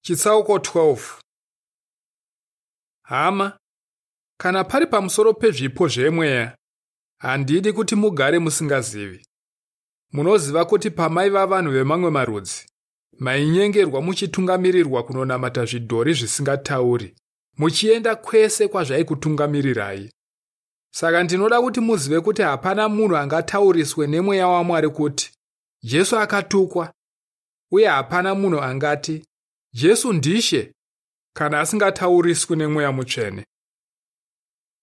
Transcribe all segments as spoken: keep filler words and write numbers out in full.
Chitsauko twelve. Hama, kana pari pamusoro pezvipo zvemweya, handidi kuti mugare musingazivi. Munoziva kuti pamaiva vanhu vemamwe marudzi, mainyengerwa muchitungamirirwa kunonamata zvidhori zvisingatauri, muchienda kwese kwazvaikutungamirirai. Saka ndinoda kuti muzive kuti hapana munhu angatauriswe nemweya waMwari kuti Jesu akatukwa, uye hapana munhu angati Jesu ndishe kana asingatauriswi nemweya mutsvene.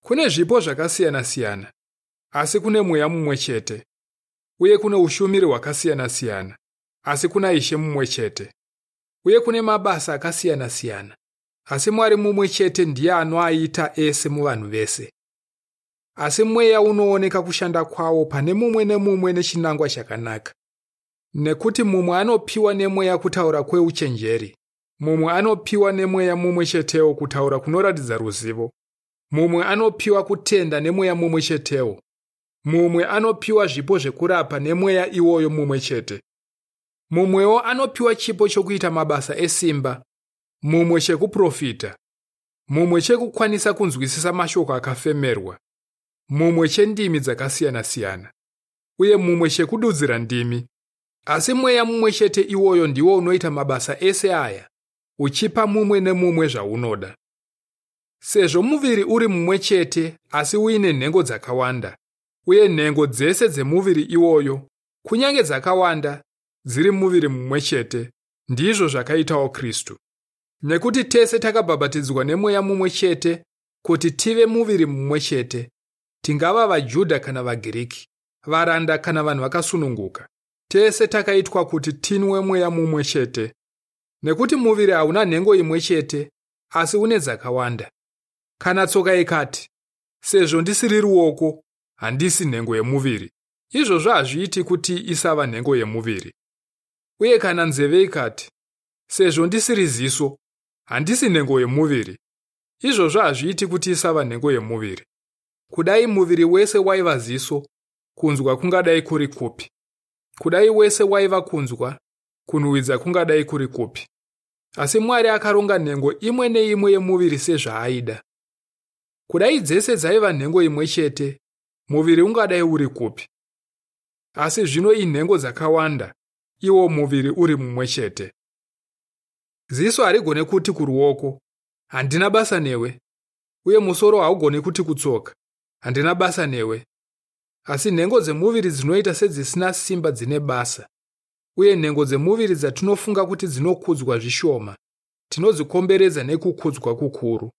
Kune zvipo zvakasiyana-siyana, asi kune mweya mumwe chete, uye kune ushumiri hwakasiyana-siyana, asi kuna Ishe mumwe chete, uye kune mabasa akasiyana-siyana, asi Mwari mumwe chete ndiye anoaita ese muvanhu vese. Asi mweya unooneka kushanda kwawo pane mumwe nemumwe nechinangwa chakanaka. Nekuti mumwe anopiwa nemweya kutaura kweuchenjeri, mumwe anopiwa nemweya mumwe chetewo kutaura kunoratidza ruzivo, mumwe anopiwa kutenda nemweya mumwe chetewo, mumwe anopiwa zvipo zvekurapa nemweya iwoyo mumwe chete, mumwewo anopiwa chipo chokuita mabasa esimba, mumwe chekuprofita, mumwe chekukwanisa kunzwisisa mashoko akafemerwa, mumwe chendimi dzakasiyana-siyana, uye mumwe chekududzira ndimi. Asi mweya mumwe chete iwoyo ndiwo unoita mabasa ese aya, uchipa mumwe nemumwe zvaunoda. Sezvo muviri uri mumwe chete asi uine nhengo dzakawanda, uye nhengo dzese dzemuviri iwoyo, kunyange dzakawanda, dziri muviri mumwe chete, ndizvo zvakaitawo Kristu. Nekuti tese takabhabhatidzwa nemweya mumwe chete kuti tive muviri mumwe chete, tingava vaJudha kana vaGiriki, varanda kana vanhu vakasununguka. Tese takaitwa kuti tinwe mweya mumwe chete. Nekuti muviri hauna nhengo imwe chete, asi une dzakawanda. Kana tsoka ikati, sezvo ndisiri ruoko, handisi nhengo yemuviri, izvozvo hazviiti kuti isava nhengo yemuviri. Uye kana nzeve ikati, sezvo ndisiri ziso, handisi nhengo yemuviri, izvozvo hazviiti kuti isava nhengo yemuviri. Kudai muviri wese waiva ziso, kunzwa kungadai kuri kupi? Kudai wese waiva kunzwa, kunhuhwidza kungadai kuri kupi? Asi Mwari akaronga nhengo imwe neimwe yemuviri sezvaaida. Kudai dzese dzaiva nhengo imwe chete, muviri ungadai uri kupi? Asi zvino inhengo dzakawanda, iwo muviri uri mumwe chete. Ziso harigone kuti kuruoko, handina basa newe, uye musoro haugone kuti kutsoka, handina basa newe. Asi nhengo dzemuviri dzinoita sedzisina simba dzine basa, uye nhengo dzemuviri dzatinofunga kuti dzinokudzwa zvishoma, tinodzikomberedza nekukudzwa kukuru.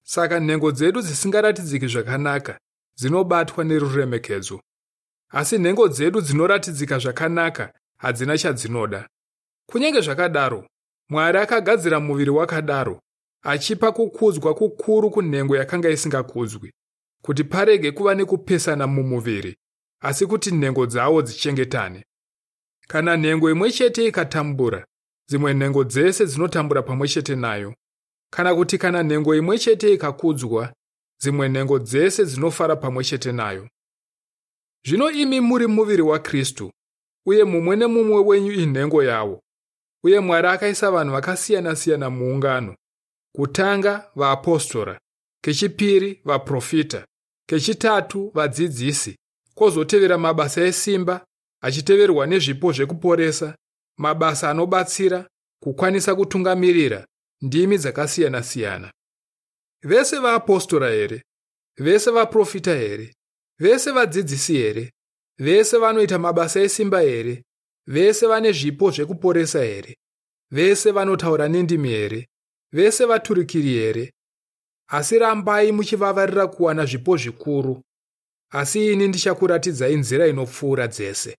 Saka nhengo dzedu dzisingaratidziki zvakanaka dzinobatwa neruremekedzo, asi nhengo dzedu dzinoratidzika zvakanaka hadzina chadzinoda. Kunyange zvakadaro, Mwari akagadzira muviri wakadaro, achipa kukudzwa kukuru kunhengo yakanga isingakudzwi, kuti parege kuva nekupesana mumuviri, asi kuti nhengo dzawo dzichengetane. Kana nhengo imwe chete ikatambura, dzimwe nhengo dzese dzinotambura pamwe chete nayo. Kana kuti kana nhengo imwe chete ikakudzwa, dzimwe nhengo dzese dzinofara pamwe chete nayo. Zvino imi muri muviri waKristu, uye mumwe nemumwe wenyu inhengo yawo. Uye Mwari akaisa vanhu vakasiyana-siyana muungano. Kutanga vaapostora, kechipiri vaprofita, kechitatu vadzidzisi, kwozotevera mabasa esimba, achiteverwa nezvipo zvekuporesa, mabasa anobatsira, kukwanisa kutungamirira, ndimi dzakasiyana-siyana. Vese vaapostora here? Vese vaprofita here? Vese vadzidzisi here? Vese vanoita mabasa esimba here? Vese vane zvipo zvekuporesa here? Vese vanotaura nendimi here? Vese vaturikiri here? Asi rambai muchivavarira kuwana zvipo zvikuru. Asi ini ndichakuratidzai nzira inopfuura dzese.